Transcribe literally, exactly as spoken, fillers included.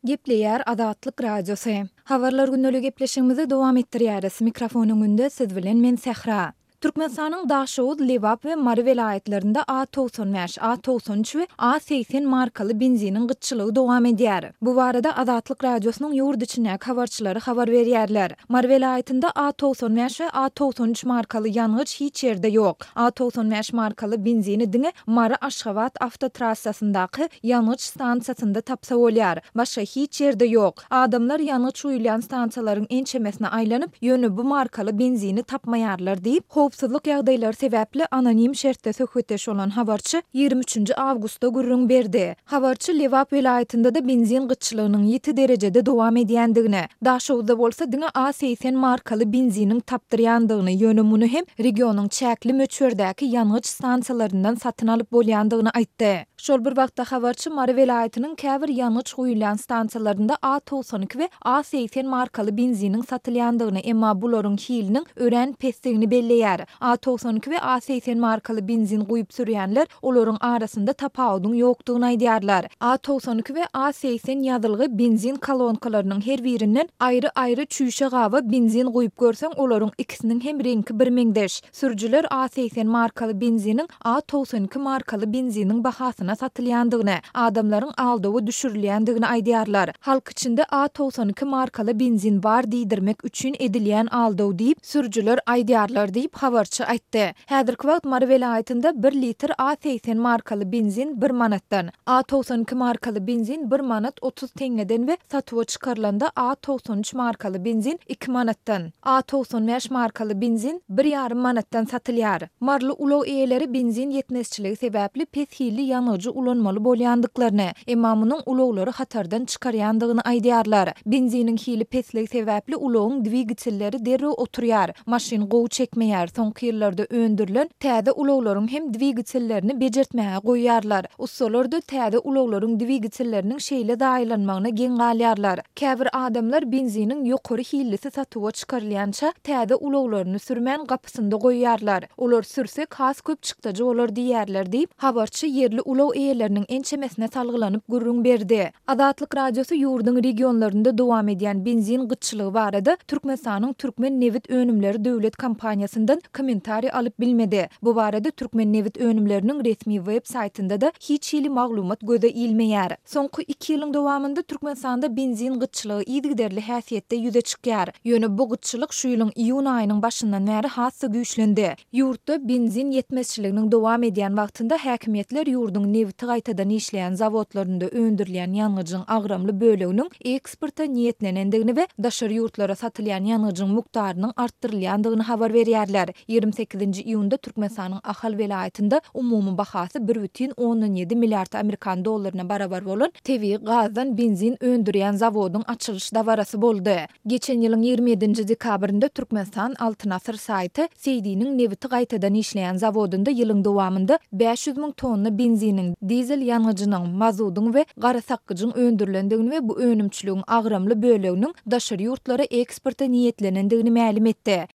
Gepleýär Azatlyk Radiosy. Habarlar gündeligi gepleşigimizi dowam etdirýäris. Mikrofon öňünde siz bilen men Sähra. Türkmenistanyň Daşoguz, Lebap we Mary welaýatlarynda A togsan bäş, A togsan üç we A segsen markaly benziniň gytçylygy dowam edýär. Bu barada Azatlyk Radiosynyň ýurt içindäki habarçylary habar berýärler. Mary welaýatynda A togsan bäş we A togsan üç markaly ýangyç hiç ýerde ýok. A togsan bäş markaly benzini diňe Mary-Aşgabat awtotrassasyndaky ýangyç stansiýasynda tapsa bolýar. Başga hiç ýerde ýok. Adamlar ýangyç guýulýan stansiýalaryň ençemesine aýlanyp, ýöne bu markaly benzini tapmaýarlar diýip, howpsuzlyk ýagdaýlary sebäpli anonim şertde söhbetdeş bolan habarçy ýigrimi üçünji awgustda gürrüň berdi. Habarçy Lebap welaýatynda-da benzin gytçylygynyň ýiti derejede dowam edýändigini, Daşoguzda bolsa diňe A segsen markaly benziniň tapdyrýandygyny, ýöne muny hem regionyň çäkli möçberdäki ýangyç stansiýalaryndan satyn alyp bolýandygyny aýtdy. Şol bir wagtda, habarçy Mary welaýatynyň käbir ýangyç guýulýan stansiýalarynda A togsan iki we A segsen markaly benziniň satylýandygyny, emma bularyň hiliniň örän pesdigini belleýär. A togsan iki we A segsen markaly benzin guýup sürýänler olaryň arasynda tapawudyň ýokdugyny aýdýarlar. A togsan iki we A segsen ýazylgy benzin kolonkalarynyň her birinden aýry-aýry çüýşe gaba benzin guýup görseň, olaryň ikisiniň hem reňki birmeňzeş. Sürüjiler A segsen markaly benziniň A togsan iki markaly benziniň bahasyna satylýandygyny, adamlaryň aldawa düşürilýändigini aýdýarlar. Halk içinde A togsan iki markaly benzin bar diýdirmek üçin edilýän aldaw diýip, sürüjiler aýdýarlar diýip, habarçy aýtdy. Häzirki wagt Mary welaýatynda bir litr A segsen markaly benzin bir manatdan, A togsan iki markaly benzin bir manat otuz teňňeden we satuwa çykarylanda A togsan üç markaly benzin iki manatdan, A togsan bäş markaly benzin bir ýarym manatdan satylýar. Maryly ulag eýeleri benzin ýetmezçiligi sebäpli pes hilli ýangyjy ulanmaly bolýandyklaryny, emma munuň ulaglary hatardan çykarýandygyny aýdýarlar. Benziniň hili pesligi sebäpli ulagyň dwigatelleri derrew oturýar, maşyn gowy çekmeýär, soňky ýyllarda öndürilen täze ulaglaryň hem dwigatellerini bejertmäge goýýarlar. Ussalar-da täze ulaglaryň dwigatelleriniň şeýle zaýalanmagyna geň galýarlar. Käbir adamlar benziniň ýokary hillisi satuwa çykarylýança täze ulaglaryny sürmän gapysynda goýýarlar. Olar sürsek has köp çykdajy bolar diýýärler diýip, habarçy ýerli ulag eýeleriniň ençemesine salgylanyp gürrüň berdi. Azatlyk Radiosy ýurduň regionlarynda dowam edýän benzin gytçylygy barada Türkmenistanyň Türkmennebit önümleri döwlet kompaniýasyndan kommentariý alyp bilmedi. Bu barada Türkmennebit önümleriniň resmi web saýtynda-da hiç hili maglumat göze ilmeýär. Soňky iki ýylyň dowamynda Türkmenistanda benzin gytçylygy yzygiderli häsiýetde ýüze çykýar. Ýöne bu gytçylyk şu ýylyň iýun aýynyň başyndan bäri has-da güýçlendi. Ýurtda benzin ýetmezçiliginiň dowam edýän wagtynda häkimiýetler ýurduň nebiti gaýtadan işleýän zawodlarynda öndürilýän ýangyjyň agramly böleginiň eksporta niýetlenendigini we daşary ýurtlara satylýan ýangyjyň mukdarynyň artdyrylýandygyny habar berýärler. Ýigrimi sekizinji iýunda Türkmenistanyň Ahal welaýatynda umumy bahasy bir bütin ondan ýedi milliard amerikan dollaryna barabar bolan tebigy gazdan benzin öndürýän zawodyň açylyş dabarasy boldy. Geçen ýylyň ýigrimi ýedinji dekabrynda Türkmenistan Altyn Asyr saýty Seýdiniň nebiti gaýtadan işleýän zawodynda ýylyň dowamynda bäş ýüz müň tonna benziniň, dizel ýangyjynyň, mazudyň we gara sakgyjyň öndürilendigini we bu önümçiligiň agramly böleginiň daşary ýurtlara eksporta niýetlenendigini mälim etdi.